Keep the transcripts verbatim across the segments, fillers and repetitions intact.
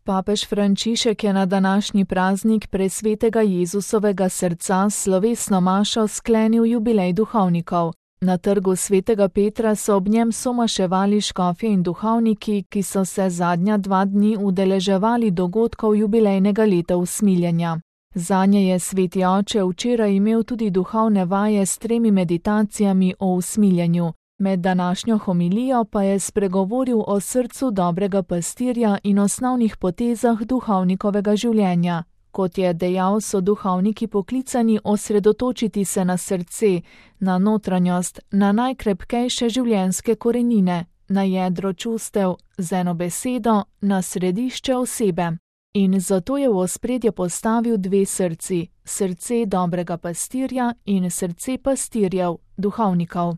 Papež Frančišek je na današnji praznik presvetega Jezusovega srca s slovesno mašo sklenil jubilej duhovnikov. Na trgu svetega Petra so ob njem somaševali škofje in duhovniki, ki so se zadnja dva dni udeleževali dogodkov jubilejnega leta usmiljenja. Zanje je sveti oče včeraj imel tudi duhovne vaje s tremi meditacijami o usmiljenju. Med današnjo homilijo pa je spregovoril o srcu dobrega pastirja in osnovnih potezah duhovnikovega življenja. Kot je dejal, so duhovniki poklicani osredotočiti se na srce, na notranjost, na najkrepkejše življenjske korenine, na jedro čustev, z eno besedo, na središče osebe. In zato je v ospredje postavil dve srci, srce dobrega pastirja in srce pastirjev, duhovnikov.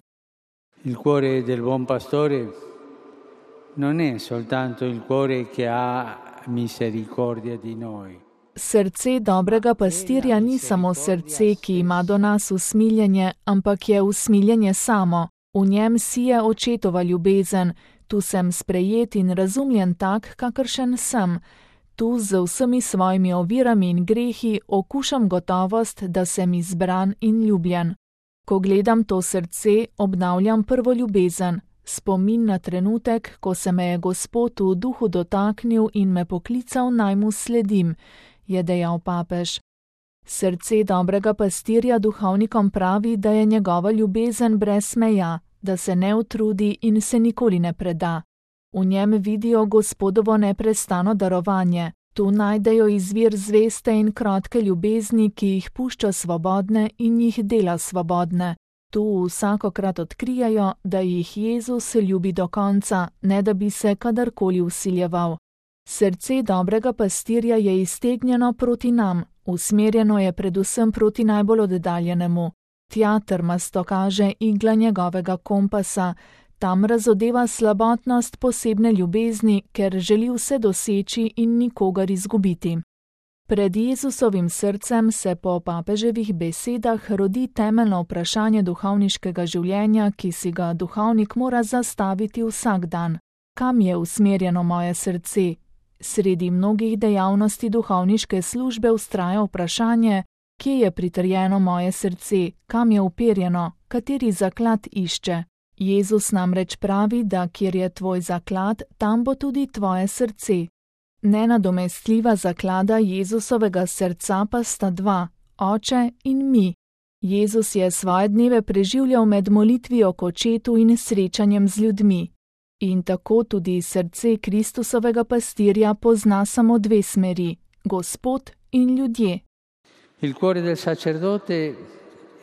Il cuore del buon pastore non è soltanto il cuore che ha misericordia di noi. Srce dobrega pastirja ni samo srce, ki ima do nas usmiljenje, ampak je usmiljenje samo. V njem sije očetova ljubezen, tu sem sprejet in razumljen tak, kakršen sem. Tu z vsemi svojimi ovirami in grehi okušam gotovost, da sem izbran in ljubljen. Ko gledam to srce, obnavljam prvo ljubezen, spomin na trenutek, ko se me je Gospod v duhu dotaknil in me poklical, naj mu sledim, je dejal papež. Srce dobrega pastirja duhovnikom pravi, da je njegova ljubezen brez meja, da se ne utrudi in se nikoli ne preda. V njem vidijo Gospodovo neprestano darovanje. Tu najdejo izvir zveste in krotke ljubezni, ki jih pušča svobodne in jih dela svobodne. Tu vsakokrat odkrijajo, da jih Jezus ljubi do konca, ne da bi se kadarkoli vsiljeval. Srce dobrega pastirja je iztegnjeno proti nam, usmerjeno je predvsem proti najbolj oddaljenemu. Tja trmasto kaže igla njegovega kompasa, tam razodeva slabotnost posebne ljubezni, ker želi vse doseči in nikogar izgubiti. Pred Jezusovim srcem se po papeževih besedah rodi temeljno vprašanje duhovniškega življenja, ki si ga duhovnik mora zastaviti vsak dan. Kam je usmerjeno moje srce? Sredi mnogih dejavnosti duhovniške službe vztraja vprašanje, kje je pritrjeno moje srce, kam je uperjeno, kateri zaklad išče. Jezus namreč pravi, da kjer je tvoj zaklad, tam bo tudi tvoje srce. Nenadomestljiva zaklada Jezusovega srca pa sta dva, Oče in mi. Jezus je svoje dneve preživljal med molitvijo k Očetu in srečanjem z ljudmi. In tako tudi srce Kristusovega pastirja pozna samo dve smeri, Gospod in ljudje. Il cuore del sacerdote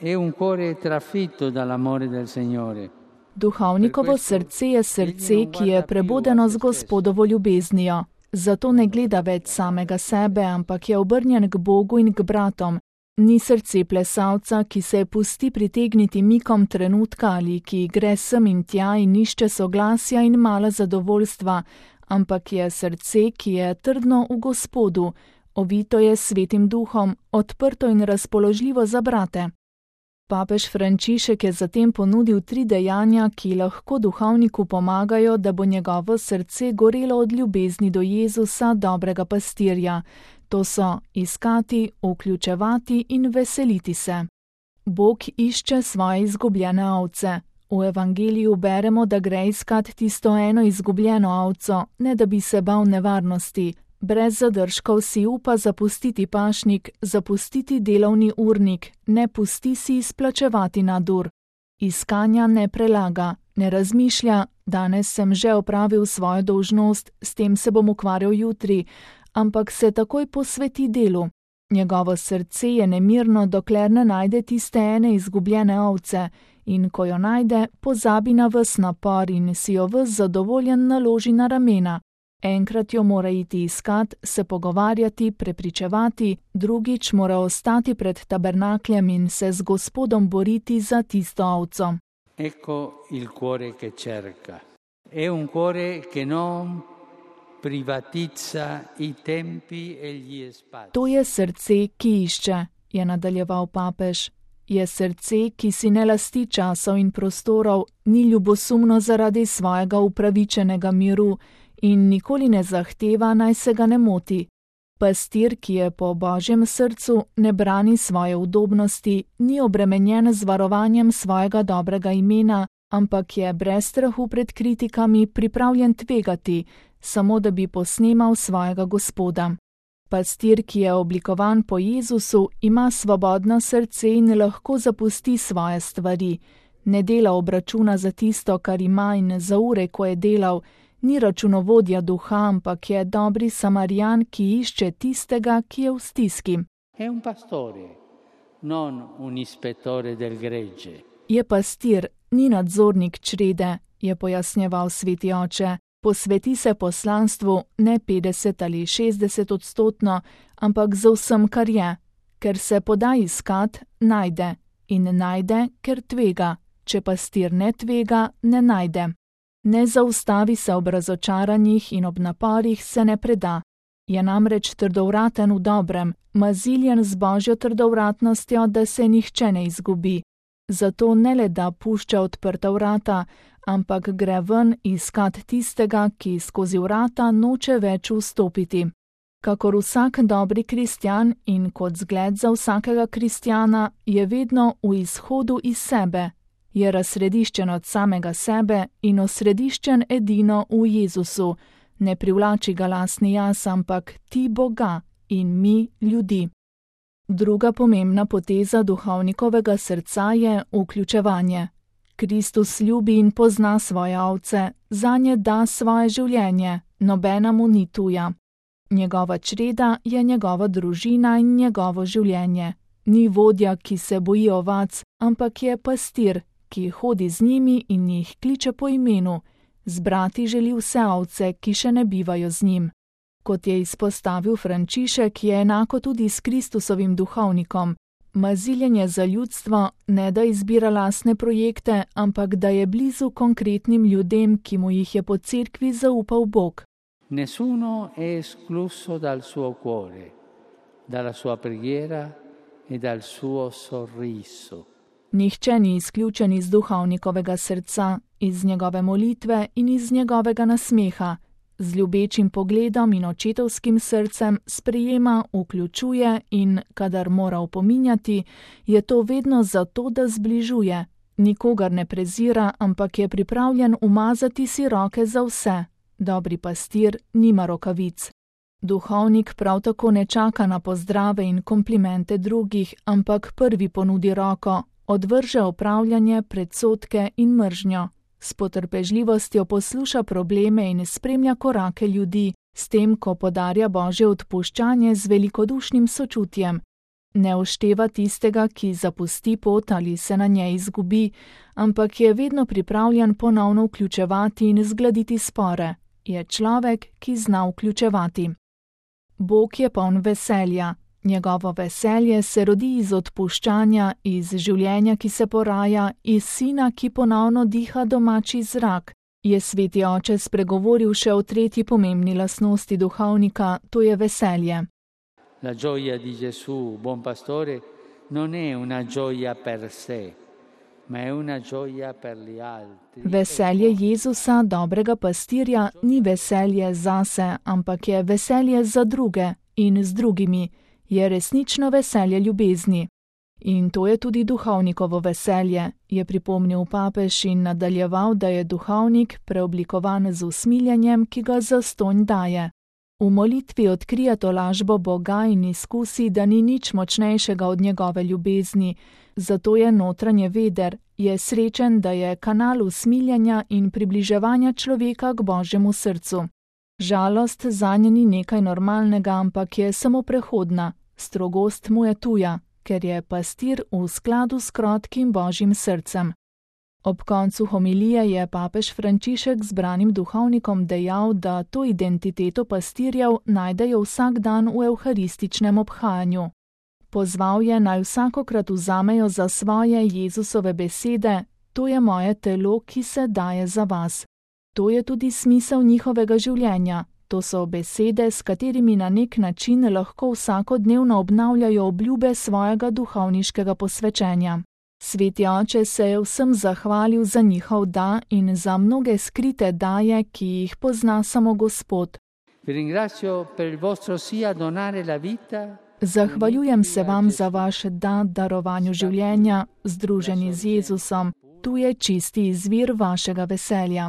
è un cuore trafitto dall'amore del Signore. Duhovnikovo srce je srce, ki je prebudeno z Gospodovo ljubeznijo. Zato ne gleda več samega sebe, ampak je obrnjen k Bogu in k bratom. Ni srce plesalca, ki se pusti pritegniti mikom trenutka ali ki gre sem in tja in išče soglasja in malo zadovoljstva, ampak je srce, ki je trdno v Gospodu, ovito je svetim duhom, odprto in razpoložljivo za brate. Papež Frančišek je zatem ponudil tri dejanja, ki lahko duhovniku pomagajo, da bo njegovo srce gorelo od ljubezni do Jezusa, dobrega pastirja. To so iskati, vključevati in veseliti se. Bog išče svoje izgubljene ovce. V evangeliju beremo, da gre iskat tisto eno izgubljeno ovco, ne da bi se bal nevarnosti. Brez zadržkov si upa zapustiti pašnik, zapustiti delovni urnik, ne pusti si izplačevati nadur. Iskanja ne prelaga, ne razmišlja, danes sem že opravil svojo dolžnost, s tem se bom ukvarjal jutri, ampak se takoj posveti delu. Njegovo srce je nemirno, dokler ne najde tiste ene izgubljene ovce, in ko jo najde, pozabi na ves napor in si jo ves zadovoljen naloži na ramena. Enkrat jo mora iti iskat, se pogovarjati, prepričevati, drugič mora ostati pred tabernakljem in se z Gospodom boriti za tisto ovco. Ecco il cuore che cerca. È un cuore che non privatizza i tempi e gli spazi. To je srce, ki išče, je nadaljeval papež. Je srce, ki si ne lasti časov in prostorov, ni ljubosumno zaradi svojega upravičenega miru in nikoli ne zahteva, naj se ga ne moti. Pastir, ki je po Božjem srcu, ne brani svoje udobnosti, ni obremenjen z varovanjem svojega dobrega imena, ampak je brez strahu pred kritikami pripravljen tvegati, samo da bi posnemal svojega Gospoda. Pastir, ki je oblikovan po Jezusu, ima svobodno srce in lahko zapusti svoje stvari. Ne dela obračuna za tisto, kar ima, in za ure, ko je delal. Ni računovodja duha, ampak je dobri Samarijan, ki išče tistega, ki je v stiski. È un pastore, non un ispettore del gregge. Je pastir, ni nadzornik črede, je pojasnjeval sveti oče. Posveti se poslanstvu ne petdeset ali šestdeset odstotno, ampak za vsem, kar je. Ker se poda iskat, najde. In najde, ker tvega. Če pastir ne tvega, ne najde. Ne zaustavi se ob razočaranjih in ob naporih se ne preda. Je namreč trdovraten v dobrem, maziljen z Božjo trdovratnostjo, da se nihče ne izgubi. Zato ne le da pušča odprta vrata, ampak gre ven iskat tistega, ki skozi vrata noče več vstopiti. Kakor vsak dobri kristjan in kot zgled za vsakega kristjana, je vedno v izhodu iz sebe. Je razsrediščen od samega sebe in osrediščen edino v Jezusu. Ne privlači ga lastni jaz, ampak ti Boga in mi ljudi. Druga pomembna poteza duhovnikovega srca je vključevanje. Kristus ljubi in pozna svoje ovce, zanje da svoje življenje, nobena mu ni tuja. Njegova čreda je njegova družina in njegovo življenje. Ni vodja, ki se boji ovac, ampak je pastir, ki hodi z njimi in jih kliče po imenu. Zbrati želi vse ovce, ki še ne bivajo z njim. Kot je izpostavil Frančišek, je enako tudi s Kristusovim duhovnikom. Maziljenje za ljudstvo ne da izbira lastne projekte, ampak da je blizu konkretnim ljudem, ki mu jih je po cerkvi zaupal Bog. Nessuno è escluso dal suo cuore, dalla sua preghiera e dal suo sorriso. Nihče ni izključen iz duhovnikovega srca, iz njegove molitve in iz njegovega nasmeha. Z ljubečim pogledom in očetovskim srcem sprejema, vključuje in, kadar mora opominjati, je to vedno zato, da zbližuje. Nikogar ne prezira, ampak je pripravljen umazati si roke za vse. Dobri pastir nima rokavic. Duhovnik prav tako ne čaka na pozdrave in komplimente drugih, ampak prvi ponudi roko, odvrže opravljanje, predsodke in mržnjo. S potrpežljivostjo posluša probleme in spremlja korake ljudi, s tem, ko podarja Božje odpuščanje z velikodušnim sočutjem. Ne ošteva tistega, ki zapusti pot ali se na njej izgubi, ampak je vedno pripravljen ponovno vključevati in zgladiti spore. Je človek, ki zna vključevati. Bog je poln veselja. Njegovo veselje se rodi iz odpuščanja, iz življenja, ki se poraja, iz sina, ki ponovno diha domači zrak. Je sveti oče spregovoril še o tretji pomembni lastnosti duhovnika, to je veselje. La gioia di Gesù, buon pastore, non è una gioia per sé, ma è una gioia per gli altri. Veselje Jezusa, dobrega pastirja, ni veselje zase, ampak je veselje za druge in z drugimi. Je resnično veselje ljubezni. In to je tudi duhovnikovo veselje, je pripomnil papež in nadaljeval, da je duhovnik preoblikovan z usmiljenjem, ki ga zastonj daje. V molitvi odkrije tolažbo Boga in izkusi, da ni nič močnejšega od njegove ljubezni, zato je notranje veder, je srečen, da je kanal usmiljenja in približevanja človeka k Božjemu srcu. Žalost zanje ni nekaj normalnega, ampak je samo prehodna. Strogost mu je tuja, ker je pastir v skladu s krotkim Božjim srcem. Ob koncu homilije je papež Frančišek zbranim duhovnikom dejal, da to identiteto pastirjev najdejo vsak dan v evharističnem obhajanju. Pozval je, naj vsakokrat vzamejo za svoje Jezusove besede, to je moje telo, ki se daje za vas. To je tudi smisel njihovega življenja. To so besede, s katerimi na nek način lahko vsakodnevno obnavljajo obljube svojega duhovniškega posvečenja. Sveti oče se je vsem zahvalil za njihov da in za mnoge skrite daje, ki jih pozna samo Gospod. Zahvaljujem se vam za vaš da darovanju življenja, združeni z Jezusom. Tu je čisti izvir vašega veselja.